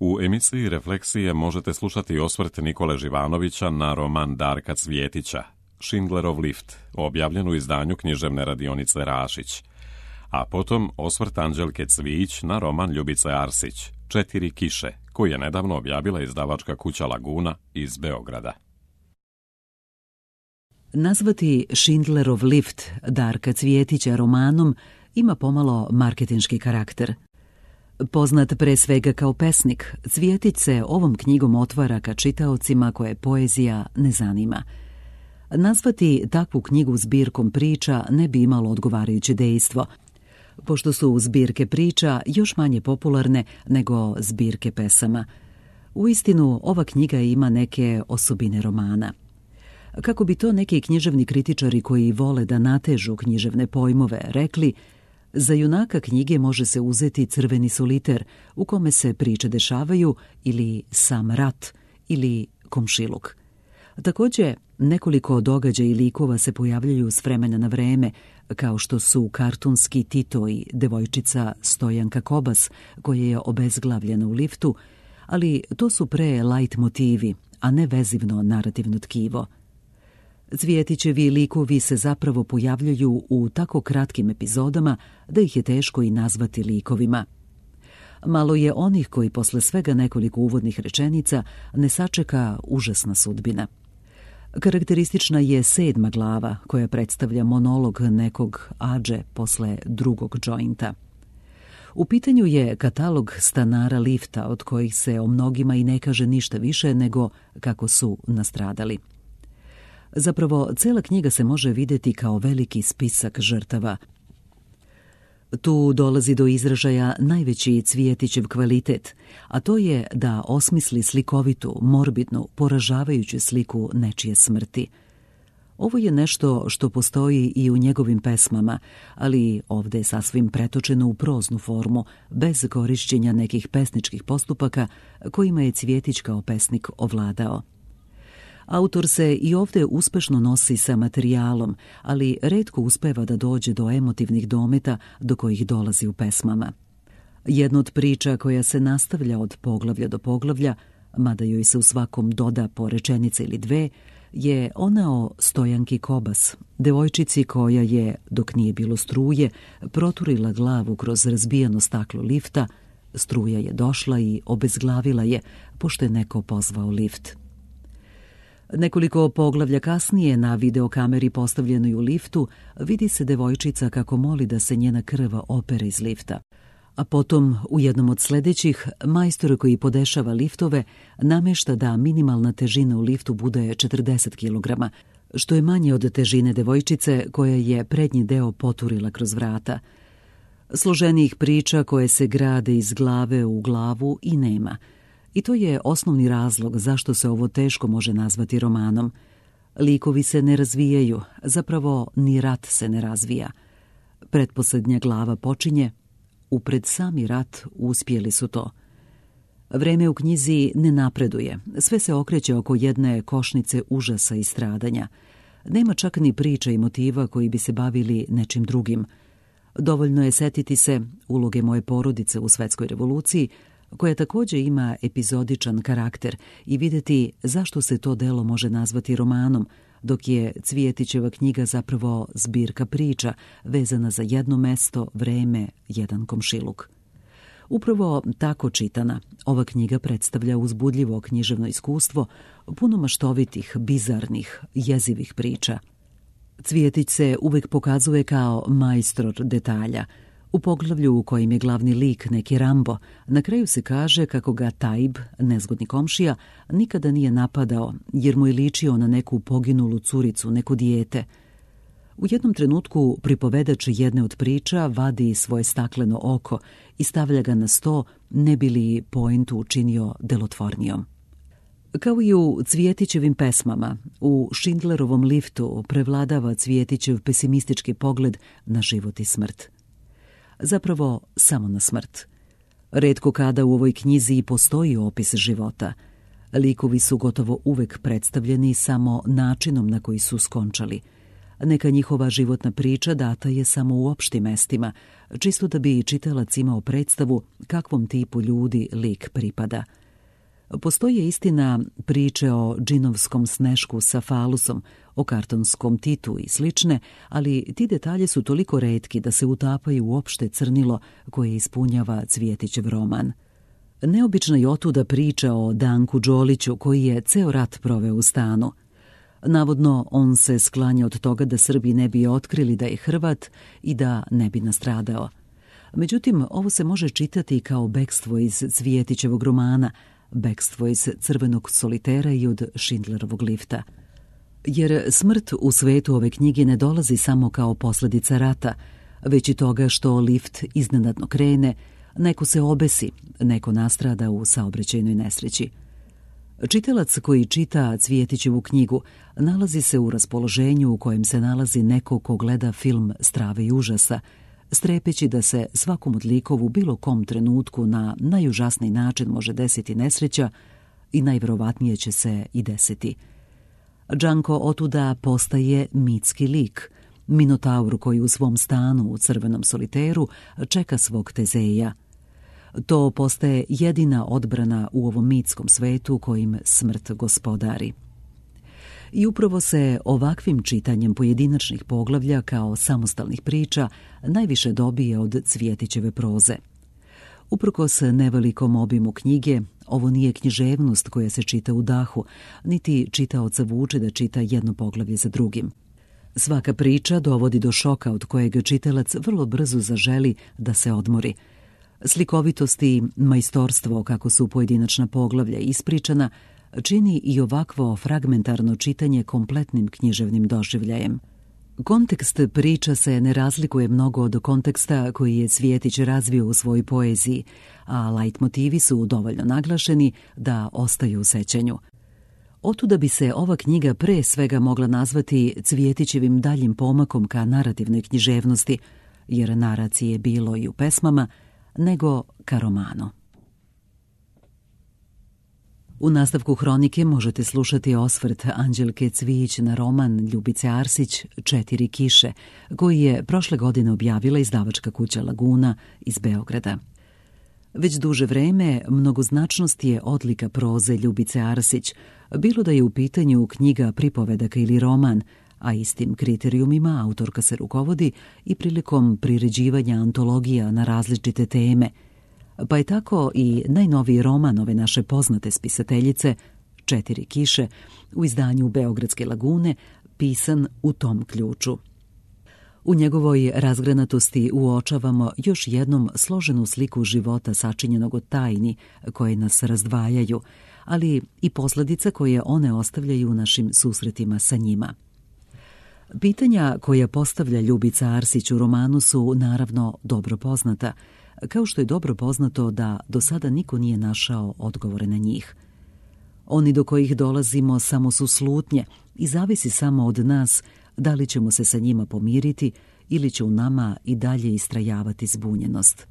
U emisiji Refleksije možete slušati osvrt Nikole Živanovića na roman Darka Cvjetića, Schindlerov lift, objavljen u izdanju književne radionice Rašić, a potom osvrt Anđelke Cvijić na roman Ljubice Arsić, 4 kiše, koji je nedavno objavila izdavačka kuća Laguna iz Beograda. Nazvati Schindlerov lift Darka Cvjetića romanom ima pomalo marketinški karakter. Poznat pre svega kao pesnik, Cvjetić se ovom knjigom otvara ka čitaocima koje poezija ne zanima. Nazvati takvu knjigu zbirkom priča ne bi imalo odgovarajuće dejstvo, pošto su zbirke priča još manje popularne nego zbirke pesama. Uistinu, ova knjiga ima neke osobine romana. Kako bi to neki književni kritičari koji vole da natežu književne pojmove rekli, za junaka knjige može se uzeti Crveni soliter u kome se priče dešavaju ili sam rat ili komšiluk. Također, nekoliko događaja i likova se pojavljaju s vremena na vreme, kao što su kartunski Tito i devojčica Stojanka Kobas, koja je obezglavljena u liftu, ali to su pre light motivi, a ne vezivno narativno tkivo. Cvjetićevi likovi se zapravo pojavljaju u tako kratkim epizodama da ih je teško i nazvati likovima. Malo je onih koji posle svega nekoliko uvodnih rečenica ne sačeka užasna sudbina. Karakteristična je 7. glava koja predstavlja monolog nekog adže posle drugog džointa. U pitanju je katalog stanara lifta od kojih se o mnogima i ne kaže ništa više nego kako su nastradali. Zapravo, cela knjiga se može vidjeti kao veliki spisak žrtava. Tu dolazi do izražaja najveći Cvjetićev kvalitet, a to je da osmisli slikovitu, morbidnu, poražavajuću sliku nečije smrti. Ovo je nešto što postoji i u njegovim pesmama, ali ovdje je sasvim pretočeno u proznu formu, bez korišćenja nekih pesničkih postupaka kojima je Cvjetić kao pesnik ovladao. Autor se i ovdje uspešno nosi sa materijalom, ali retko uspeva da dođe do emotivnih dometa do kojih dolazi u pesmama. Jedna od priča koja se nastavlja od poglavlja do poglavlja, mada joj se u svakom doda po rečenice ili dve, je ona o Stojanki Kobas, devojčici koja je, dok nije bilo struje, proturila glavu kroz razbijeno staklo lifta. Struja je došla i obezglavila je, pošto je neko pozvao lift. Nekoliko poglavlja kasnije na videokameri postavljenoj u liftu vidi se devojčica kako moli da se njena krv opere iz lifta. A potom, u jednom od sljedećih, majstor koji podešava liftove namešta da minimalna težina u liftu bude 40 kg, što je manje od težine devojčice koja je prednji deo poturila kroz vrata. Složenijih priča koje se grade iz glave u glavu i nema. I to je osnovni razlog zašto se ovo teško može nazvati romanom. Likovi se ne razvijaju, zapravo ni rat se ne razvija. Pretposljednja glava počinje, upred sami rat uspjeli su to. Vreme u knjizi ne napreduje, sve se okreće oko jedne košnice užasa i stradanja. Nema čak ni priča i motiva koji bi se bavili nečim drugim. Dovoljno je setiti se uloge moje porodice u Svetskoj revoluciji, koja također ima epizodičan karakter, i vidjeti zašto se to delo može nazvati romanom, dok je Cvjetićeva knjiga zapravo zbirka priča vezana za jedno mesto, vreme, jedan komšiluk. Upravo tako čitana, ova knjiga predstavlja uzbudljivo književno iskustvo, puno maštovitih, bizarnih, jezivih priča. Cvjetić se uvek pokazuje kao majstor detalja. U poglavlju u kojem je glavni lik neki Rambo, na kraju se kaže kako ga Tajb, nezgodni komšija, nikada nije napadao jer mu je ličio na neku poginulu curicu, neko dijete. U jednom trenutku pripovedač jedne od priča vadi svoje stakleno oko i stavlja ga na sto, ne bi li poentu učinio delotvornijom. Kao i u Cvjetićevim pesmama, u Schindlerovom liftu prevladava Cvjetićev pesimistički pogled na život i smrt. Zapravo samo na smrt. Retko kada u ovoj knjizi i postoji opis života. Likovi su gotovo uvek predstavljeni samo načinom na koji su skončali. Neka njihova životna priča data je samo u opštim mestima, čisto da bi čitalac imao predstavu kakvom tipu ljudi lik pripada. Postoje istina priče o džinovskom snešku sa falusom, o kartonskom Titu i slične, ali ti detalji su toliko retki da se utapaju u opšte crnilo koje ispunjava Cvjetićev roman. Neobična je otuda priča o Danku Đoliću koji je ceo rat proveo u stanu. Navodno, on se sklanja od toga da Srbi ne bi otkrili da je Hrvat i da ne bi nastradao. Međutim, ovo se može čitati kao bekstvo iz Cvjetićevog romana, bekstvo iz Crvenog solitera i od Schindlerovog lifta. Jer smrt u svetu ove knjige ne dolazi samo kao posljedica rata, već i toga što lift iznenadno krene, neko se obesi, neko nastrada u saobraćajnoj nesreći. Čitalac koji čita Cvjetićevu knjigu nalazi se u raspoloženju u kojem se nalazi neko ko gleda film strave i užasa, strepeći da se svakom od likova u bilo kom trenutku na najužasniji način može desiti nesreća i najverovatnije će se i desiti. Đanko otuda postaje mitski lik, minotaur koji u svom stanu u Crvenom soliteru čeka svog Tezeja. To postaje jedina odbrana u ovom mitskom svetu kojim smrt gospodari. I upravo se ovakvim čitanjem pojedinačnih poglavlja kao samostalnih priča najviše dobije od Cvjetićeve proze. Uprkos nevelikom obimu knjige, ovo nije književnost koja se čita u dahu, niti čitaoca vuče da čita jedno poglavlje za drugim. Svaka priča dovodi do šoka od kojeg čitalac vrlo brzo zaželi da se odmori. Slikovitost i majstorstvo kako su pojedinačna poglavlja ispričana čini i ovakvo fragmentarno čitanje kompletnim književnim doživljajem. Kontekst priča se ne razlikuje mnogo od konteksta koji je Cvjetić razvio u svojoj poeziji, a lajtmotivi su dovoljno naglašeni da ostaju u sećanju. Otuda bi se ova knjiga pre svega mogla nazvati Cvjetićevim daljim pomakom ka narativnoj književnosti, jer naracije je bilo i u pesmama, nego ka romanu. U nastavku hronike možete slušati osvrt Anđelke Cvijić na roman Ljubice Arsić Četiri kiše, koji je prošle godine objavila izdavačka kuća Laguna iz Beograda. Već duže vreme mnogoznačnost je odlika proze Ljubice Arsić, bilo da je u pitanju knjiga pripovedaka ili roman, a istim kriterijumima autorka se rukovodi i prilikom priređivanja antologija na različite teme, pa je tako i najnoviji roman ove naše poznate spisateljice, Četiri kiše, u izdanju Beogradske Lagune, pisan u tom ključu. U njegovoj razgranatosti uočavamo još jednom složenu sliku života sačinjenog od tajni koje nas razdvajaju, ali i posljedica koje one ostavljaju u našim susretima sa njima. Pitanja koja postavlja Ljubica Arsić u romanu su naravno dobro poznata, kao što je dobro poznato da do sada niko nije našao odgovore na njih. Oni do kojih dolazimo samo su slutnje i zavisi samo od nas da li ćemo se sa njima pomiriti ili će u nama i dalje istrajavati zbunjenost.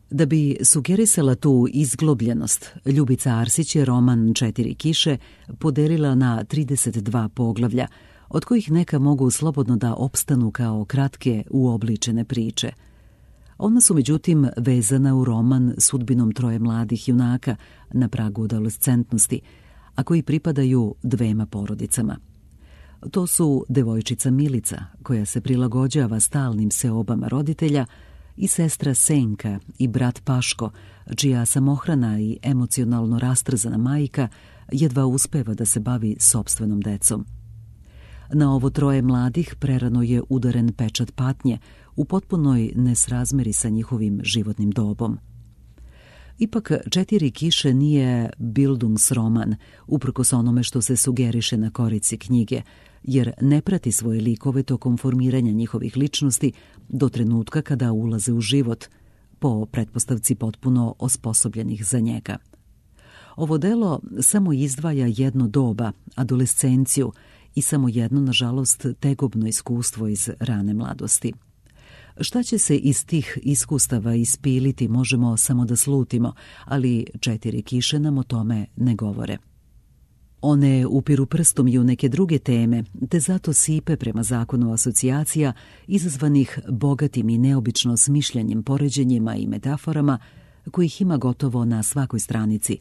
Da bi sugerisala tu izglobljenost, Ljubica Arsić je roman Četiri kiše podelila na 32 poglavlja, od kojih neka mogu slobodno da opstanu kao kratke uobličene priče. Ona su međutim vezana u roman sudbinom troje mladih junaka na pragu adolescentnosti, a koji pripadaju dvema porodicama. To su devojčica Milica, koja se prilagođava stalnim seobama roditelja, i sestra Senka i brat Paško, čija samohrana i emocionalno rastrzana majka jedva uspeva da se bavi sopstvenom decom. Na ovo troje mladih prerano je udaren pečat patnje u potpunoj nesrazmeri sa njihovim životnim dobom. Ipak Četiri kiše nije bildungsroman, uprkos onome što se sugeriše na korici knjige, jer ne prati svoje likove tokom formiranja njihovih ličnosti do trenutka kada ulaze u život, po pretpostavci potpuno osposobljenih za njega. Ovo delo samo izdvaja jedno doba, adolescenciju, i samo jedno, nažalost, tegobno iskustvo iz rane mladosti. Šta će se iz tih iskustava ispiliti možemo samo da slutimo, ali Četiri kiše nam o tome ne govore. One upiru prstom i u neke druge teme, te zato sipe prema zakonu asocijacija izazvanih bogatim i neobično smišljanjem, poređenjima i metaforama kojih ima gotovo na svakoj stranici,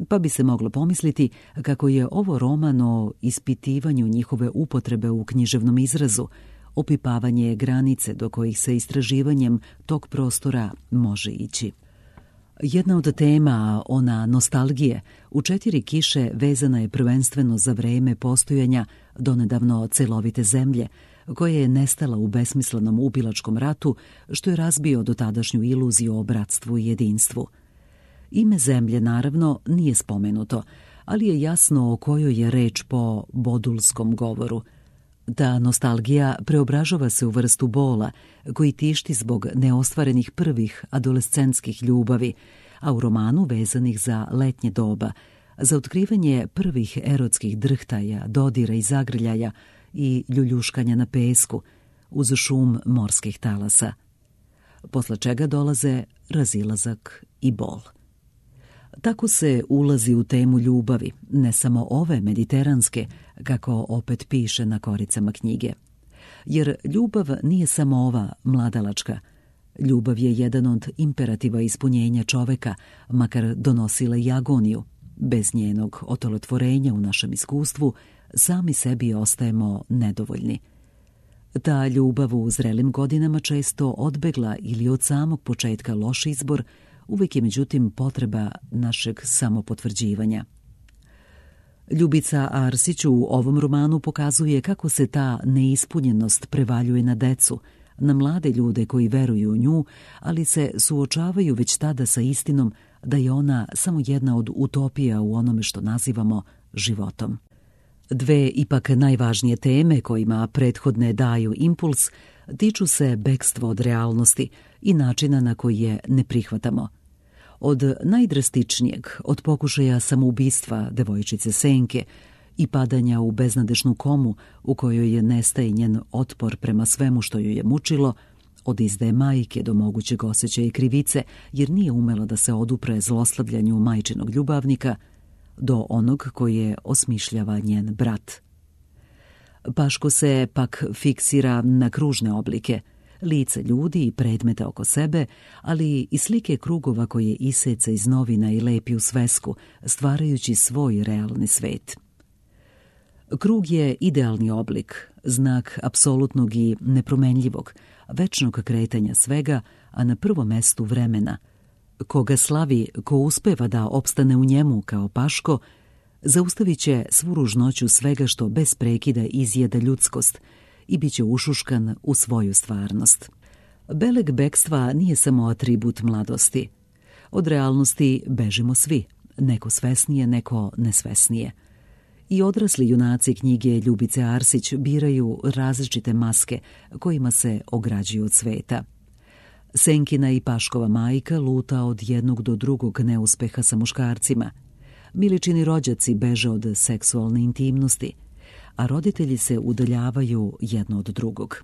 pa bi se moglo pomisliti kako je ovo roman o ispitivanju njihove upotrebe u književnom izrazu, opipavanje granice do kojih se istraživanjem tog prostora može ići. Jedna od tema, ona nostalgije, u 4 kiše vezana je prvenstveno za vreme postojanja donedavno celovite zemlje, koja je nestala u besmislenom ubilačkom ratu, što je razbio dotadašnju iluziju o bratstvu i jedinstvu. Ime zemlje, naravno, nije spomenuto, ali je jasno o kojoj je reč po bodulskom govoru. Ta nostalgija preobražava se u vrstu bola koji tišti zbog neostvarenih prvih adolescentskih ljubavi, a u romanu vezanih za letnje doba, za otkrivanje prvih erotskih drhtaja, dodira i zagrljaja i ljuljuškanja na pesku uz šum morskih talasa, posle čega dolaze razilazak i bol. Tako se ulazi u temu ljubavi, ne samo ove mediteranske, kako opet piše na koricama knjige. Jer ljubav nije samo ova mladalačka. Ljubav je jedan od imperativa ispunjenja čoveka, makar donosila i agoniju. Bez njenog otolotvorenja u našem iskustvu sami sebi ostajemo nedovoljni. Ta ljubav u zrelim godinama često odbegla ili od samog početka loš izbor, uvijek je međutim potreba našeg samopotvrđivanja. Ljubica Arsić u ovom romanu pokazuje kako se ta neispunjenost prevaljuje na decu, na mlade ljude koji veruju u nju, ali se suočavaju već tada sa istinom da je ona samo jedna od utopija u onome što nazivamo životom. Dve ipak najvažnije teme kojima prethodne daju impuls tiču se bekstva od realnosti i načina na koji je ne prihvatamo. Od najdrastičnijeg, od pokušaja samoubistva devojčice Senke i padanja u beznadešnu komu u kojoj je nestaje njen otpor prema svemu što ju je mučilo, od izdaje majke do mogućeg osjećaja i krivice jer nije umela da se odupre zlostavljanju majčinog ljubavnika, do onog koje osmišljava njen brat. Paško se pak fiksira na kružne oblike, lice ljudi i predmete oko sebe, ali i slike krugova koje iseca iz novina i lepi u svesku, stvarajući svoj realni svet. Krug je idealni oblik, znak apsolutnog i nepromenljivog, večnog kretanja svega, a na prvom mestu vremena. Ko ga slavi, ko uspeva da opstane u njemu kao Paško, zaustavit će svu ružnoću svega što bez prekida izjeda ljudskost i bit će ušuškan u svoju stvarnost. Beleg bekstva nije samo atribut mladosti. Od realnosti bežimo svi, neko svesnije, neko nesvesnije. I odrasli junaci knjige Ljubice Arsić biraju različite maske kojima se ograđuju od sveta. Senkina i Paškova majka luta od jednog do drugog neuspeha sa muškarcima. Miličini rođaci beže od seksualne intimnosti, a roditelji se udaljavaju jedno od drugog.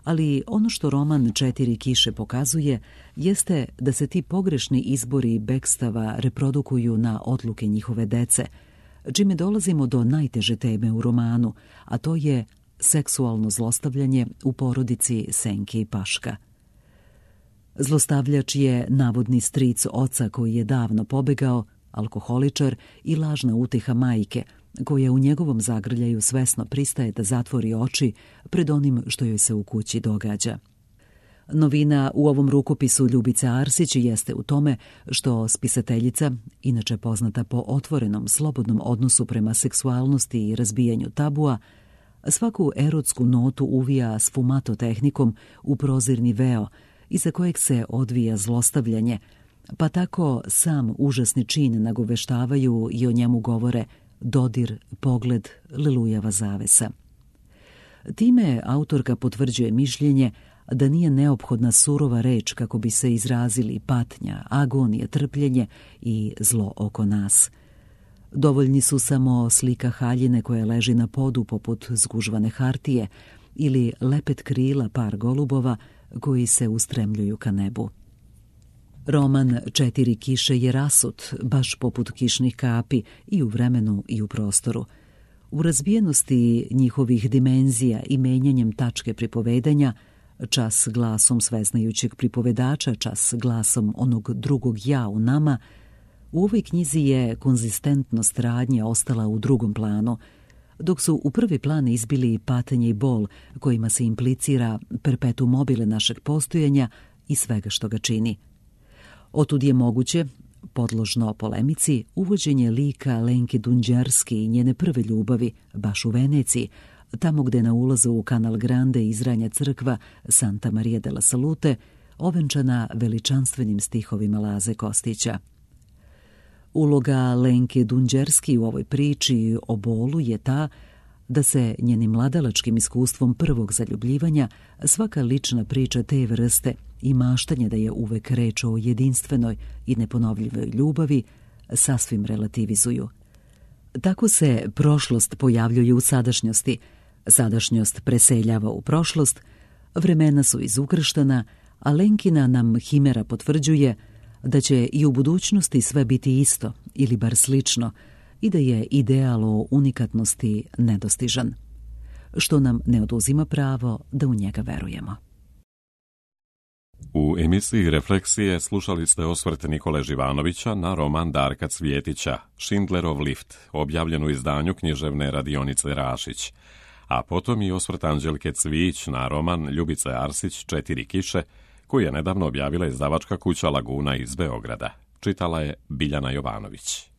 Ali ono što roman 4 kiše pokazuje jeste da se ti pogrešni izbori bekstava reprodukuju na odluke njihove dece, čime dolazimo do najteže teme u romanu, a to je seksualno zlostavljanje u porodici Senke i Paška. Zlostavljač je navodni stric oca koji je davno pobegao, alkoholičar i lažna uteha majke, koja u njegovom zagrljaju svesno pristaje da zatvori oči pred onim što joj se u kući događa. Novina u ovom rukopisu Ljubice Arsić jeste u tome što spisateljica, inače poznata po otvorenom, slobodnom odnosu prema seksualnosti i razbijanju tabua, svaku erotsku notu uvija sfumato tehnikom u prozirni veo iza kojeg se odvija zlostavljanje, pa tako sam užasni čin nagoveštavaju i o njemu govore dodir, pogled, lelujava zavesa. Time autorka potvrđuje mišljenje da nije neophodna surova reč kako bi se izrazili patnja, agonija, trpljenje i zlo oko nas. Dovoljni su samo slika haljine koja leži na podu poput zgužvane hartije ili lepet krila par golubova koji se ustremljuju ka nebu. Roman Četiri kiše je rasut, baš poput kišnih kapi, i u vremenu i u prostoru. U razbijenosti njihovih dimenzija i menjanjem tačke pripovedanja, čas glasom sveznajućeg pripovedača, čas glasom onog drugog ja u nama, u ovoj knjizi je konzistentnost radnje ostala u drugom planu, dok su u prvi plan izbili patnje i bol kojima se implicira perpetuum mobile našeg postojanja i svega što ga čini. Otud je moguće, podložno polemici, uvođenje lika Lenke Dunđerski i njene prve ljubavi, baš u Veneciji, tamo gde na ulazu u Canal Grande izranja crkva Santa Maria della Salute, ovenčana veličanstvenim stihovima Laze Kostića. Uloga Lenke Dunđerski u ovoj priči o bolu je ta da se njenim mladalačkim iskustvom prvog zaljubljivanja svaka lična priča te vrste i maštanje da je uvek reč o jedinstvenoj i neponovljivoj ljubavi sasvim relativizuju. Tako se prošlost pojavljuje u sadašnjosti, sadašnjost preseljava u prošlost, vremena su izukrštana, a Lenkina nam himera potvrđuje da će i u budućnosti sve biti isto ili bar slično i da je ideal o unikatnosti nedostižan, što nam ne oduzima pravo da u njega verujemo. U emisiji Refleksije slušali ste osvrt Nikole Živanovića na roman Darka Cvjetića Schindlerov lift, objavljen u izdanju književne radionice Rašić, a potom i osvrt Anđelke Cvijić na roman Ljubice Arsić Četiri kiše, koji je nedavno objavila izdavačka kuća Laguna iz Beograda. Čitala je Biljana Jovanović.